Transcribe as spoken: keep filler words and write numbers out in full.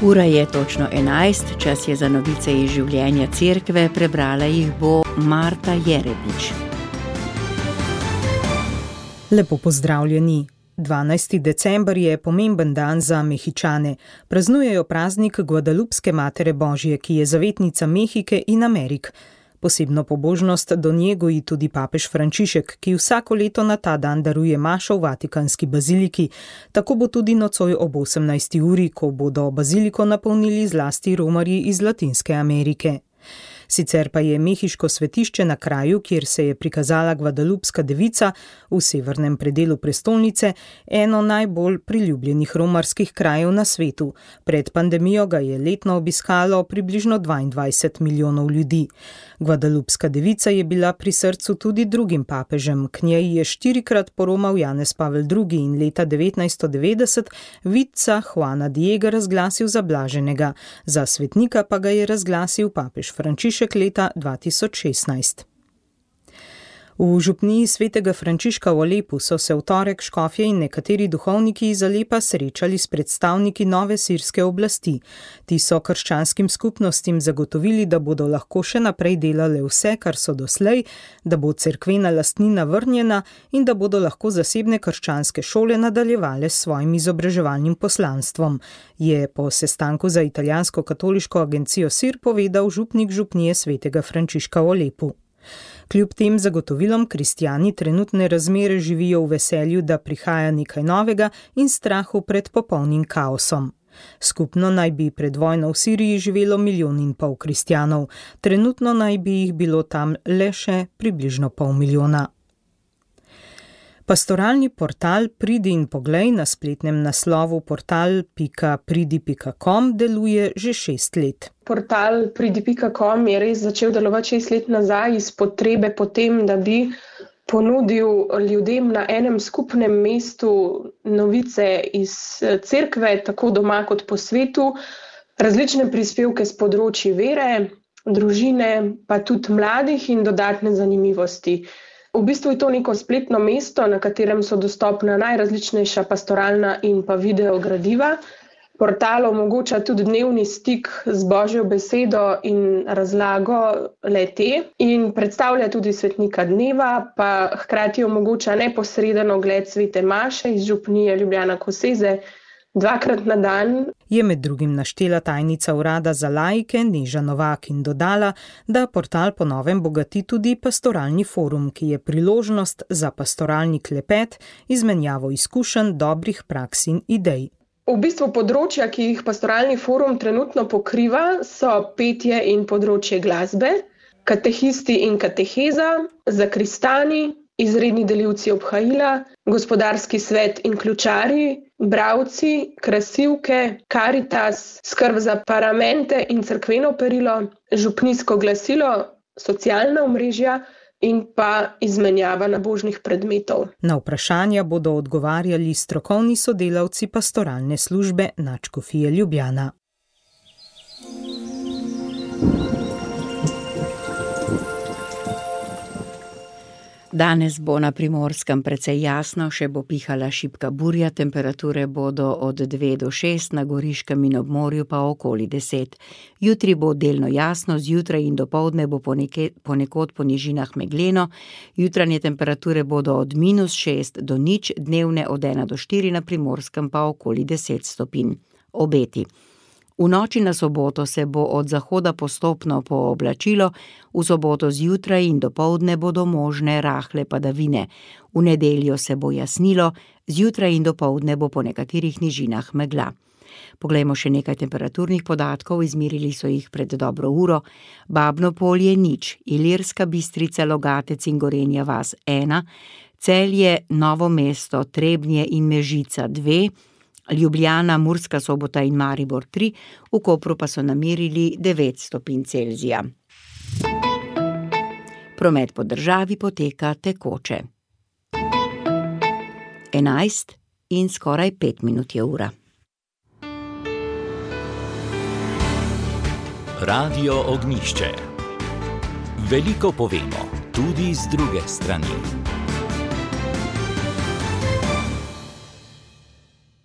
Ura je točno enajst, čas je za novice iz življenja cerkve, prebrala jih bo Marta Jerebič. Lepo pozdravljeni. dvanajsti december je pomemben dan za Mehičane. Praznujejo praznik Guadalupske Matere Božje, ki je zavetnica Mehike in Amerik. Posebno pobožnost do nje goji tudi papež Frančišek, ki vsako leto na ta dan daruje mašo v Vatikanski baziliki. Tako bo tudi nocoj ob osemnajsti uri, ko bodo baziliko napolnili zlasti romarji iz Latinske Amerike. Sicer pa je mehiško svetišče na kraju, kjer se je prikazala Guadalupska devica v severnem predelu prestolnice, eno najbolj priljubljenih romarskih krajev na svetu. Pred pandemijo ga je letno obiskalo približno dvaindvajset milijonov ljudi. Guadalupska devica je bila pri srcu tudi drugim papežem. K njej je štirikrat poromal Janez Pavel drugi in leta devetnajststo devetdeset vidca Juana Diega razglasil za blaženega. Za svetnika pa ga je razglasil papež Frančišek leta dva tisoč šestnajst. V župniji svetega Frančiška v Alepu so se v torek škofje in nekateri duhovniki iz Alepa srečali s predstavniki nove sirske oblasti. Ti so krščanskim skupnostim zagotovili, da bodo lahko še naprej delale vse, kar so doslej, da bo cerkvena lastnina vrnjena in da bodo lahko zasebne krščanske šole nadaljevale s svojim izobraževalnim poslanstvom, je po sestanku za italijansko katoliško agencijo Sir povedal župnik župnije svetega Frančiška v Alepu. Kljub tem zagotovilom kristjani trenutne razmere živijo v veselju, da prihaja nekaj novega in strahu pred popolnim kaosom. Skupno naj bi pred vojno v Siriji živelo milijon in pol kristjanov, trenutno naj bi jih bilo tam le še približno pol milijona. Pastoralni portal Pridi in poglej na spletnem naslovu portal pika pridi pika com deluje že šest let. Portal pridi pika com je res začel delovati šest let nazaj iz potrebe potem, da bi ponudil ljudem na enem skupnem mestu novice iz cerkve, tako doma kot po svetu, različne prispevke z področji vere, družine, pa tudi mladih in dodatne zanimivosti. V bistvu je to neko spletno mesto, na katerem so dostopna najrazličnejša pastoralna in pa video gradiva. Portal omogoča tudi dnevni stik z Božjo besedo in razlago le-te in predstavlja tudi svetnika dneva, pa hkrati omogoča neposreden ogled svete maše iz župnije Ljubljana Koseze dvakrat na dan. Je med drugim naštela tajnica urada za laike Neža Novak in dodala, da portal po novem bogati tudi pastoralni forum, ki je priložnost za pastoralni klepet, izmenjavo izkušenj, dobrih praks in idej. V bistvu področja, ki jih pastoralni forum trenutno pokriva, so petje in področje glasbe, katehisti in kateheza, zakristani, izredni delivci obhajila, gospodarski svet in ključari, bralci, krasilke, karitas, skrb za paramente in cerkveno perilo, župnijsko glasilo, socialna omrežja in pa izmenjava nabožnih predmetov. Na vprašanja bodo odgovarjali strokovni sodelavci pastoralne službe Nadškofije Ljubljana. Danes bo na Primorskem precej jasno, še bo pihala šibka burja, temperature bodo od dve do šest, na Goriškem in ob morju pa okoli deset. Jutri bo delno jasno, zjutraj in dopoldne bo ponekod, ponekod po nižinah megleno, jutranje temperature bodo od minus šest do nič, dnevne od ena do štiri, na Primorskem pa okoli deset stopinj. Obeti. V noči na soboto se bo od zahoda postopno pooblačilo, v soboto zjutraj in dopoldne bodo možne rahle padavine. V nedeljo se bo jasnilo, zjutraj in dopoldne bo po nekaterih nižinah megla. Poglejmo še nekaj temperaturnih podatkov, izmerili so jih pred dobro uro. Babno Polje nič, Ilirska Bistrica, Logatec in Gorenja vas ena, Celje, Novo mesto, Trebnje in Mežica dve, Ljubljana, Murska Sobota in Maribor tri, v Kopru pa so namerili devet stopinj Celzija. Promet po državi poteka tekoče. enajst in skoraj pet minut je ura. Radio Ognjišče. Veliko povemo, tudi z druge strani.